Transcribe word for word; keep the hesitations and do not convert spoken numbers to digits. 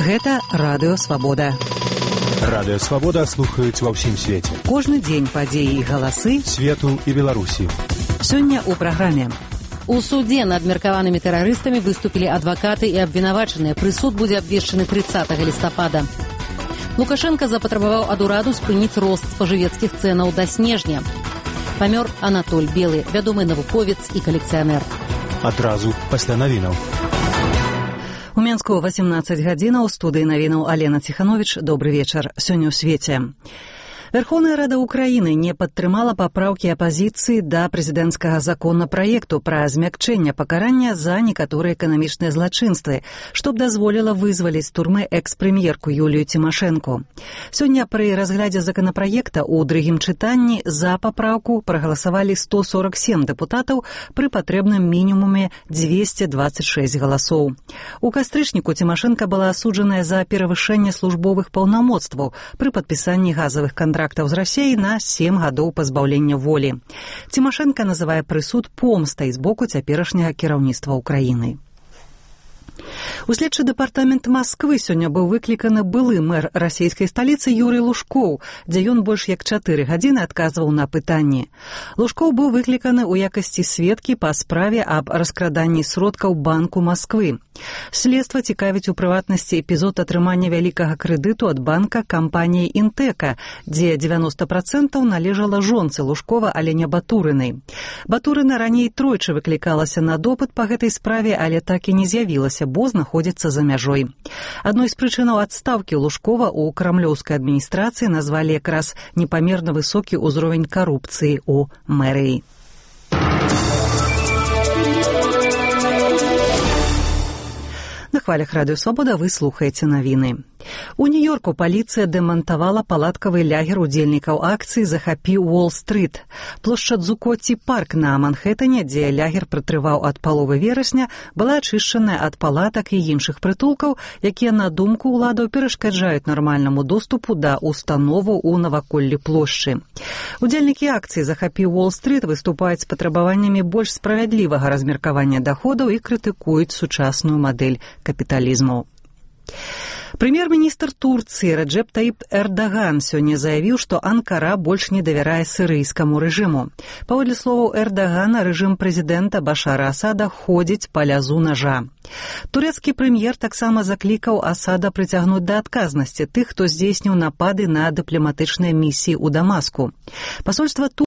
Гэта Радыё Свабода. Радыё Свабода слухаюць ва ўсім свеце. Кожны дзень падзеі і галасы свету і Беларусі. Сёння ў праграме. У судзе над меркаванымі тэрарыстамі выступілі адвакаты і абвінавачаныя. Прысуд будзе абвешчаны трыццатага лістапада. Лукашенко запатрабаваў ад ураду спыніць рост спажывецкіх цэнаў да снежня. Памёр Анатоль Белы, вядомы навуковец і калекцыянер. Адразу пасля навінаў. У Менску восемнадцать гадзінаў, у студыі навінаў Алена Ціхановіч. Добры вечар. Сёння ў свеце. Верховная Рада Украины не падтрымала папраўкі апазіцыі да прэзідэнцкага законапраекту пра змякчэнне пакарання за некаторыя эканамічныя злачынствы, што б дазволіла вызваліць з турмы экс-прэм'ерку Юлію Цімашэнку. Сёння пры разглядзе законапраекта ў другім чытанні за папраўку прагаласавалі сто сорок сем дэпутатаў пры патрэбным мінімуме дзвесце дваццаць шэсць галасоў. У кастрычніку Цімашэнка была асуджаная за перавышэнне службовых паўнамоцтваў пры падпісанні газавых кантрактаў з Расіяй на сем гадоў пазбаўлення волі. Цімашэнка называе прысуд помстай з боку цяперашняга кіраўніцтва ўкраіны. У следчы дэпартамент Масквы сёння быў выкліканы былы мэр расійскай сталіцы Юрый Лужкоў, дзе ён больш як чатыры гадзіны адказваў на пытанні. Лужкоў быў выкліканы ў якасці сведкі па справе аб раскраданні сродкаў Банку Масквы. Следства цікавіць у прыватнасці эпізод атрымання вялікага крэдыту ад банка кампаніі Інтэка, дзе дзевяноста працэнтаў належала жонцы Лужкова Алене Батурынай. Батурына раней тройчы выклікалася на допыт па гэтай справе, але так і не з'явілася, бо знаходзіцца за мяжой. Адной з прычынаў адстаўкі Лужкова ў крамлёўскай адміністрацыі назвалі якраз непамерна высокі ўзровень карупцыі ў мэрыі. На хвалях Радыё Свабода вы слухаеце навіны. У Нью-Йорку паліцыя дэмантавала палаткавы лягер удзельнікаў акцыі «Захапі Уолл-стрыт». Плошча Дзукоці парк на Манхэттане, дзе лягер пратрываў ад паловы верасня, была ачышчаная ад палатак і іншых прытулкаў, якія, на думку ўладаў, перашкаджаюць нармальнаму доступу да установаў у наваколлі плошчы. Удзельнікі акцыі «Захапі Уолл-стрыт» выступаюць з патрабаваннямі больш справядлівага размеркавання даходаў і крытыкуюць сучасную мадэль капіталізму. Прэм'ер-міністр Турцыі Реджеп Таіп Эрдаган сёння заявіў, што Анкара больш не давярае сірыйскаму рэжыму. Паводле словаў Эрдагана, рэжым прэзідэнта Башара Асада ходзіць па лязу нажа. Турэцкі прэм'ер таксама заклікаў Асада прыцягнуць да адказнасці тых, хто здзейсніў напады на дыпламатычныя місіі ў Дамаску. Пасольства